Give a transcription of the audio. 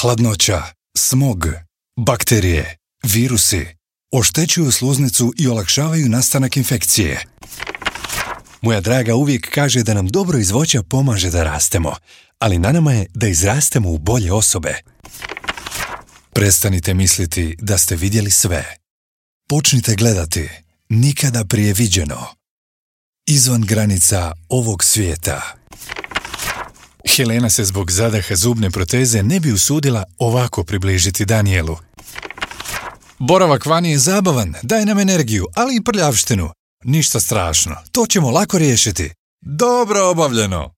hladnoća, smog, bakterije, virusi oštećuju sluznicu i olakšavaju nastanak infekcije. Moja draga uvijek kaže da nam dobro iz voća pomaže da rastemo, ali na nama je da izrastemo u bolje osobe. Prestanite misliti da ste vidjeli sve. Počnite gledati nikada prije viđeno. Izvan granica ovog svijeta. Helena se zbog zadaha zubne proteze ne bi usudila ovako približiti Danielu. Boravak vani je zabavan, daje nam energiju, ali i prljavštinu. Ništa strašno, to ćemo lako riješiti. Dobro obavljeno!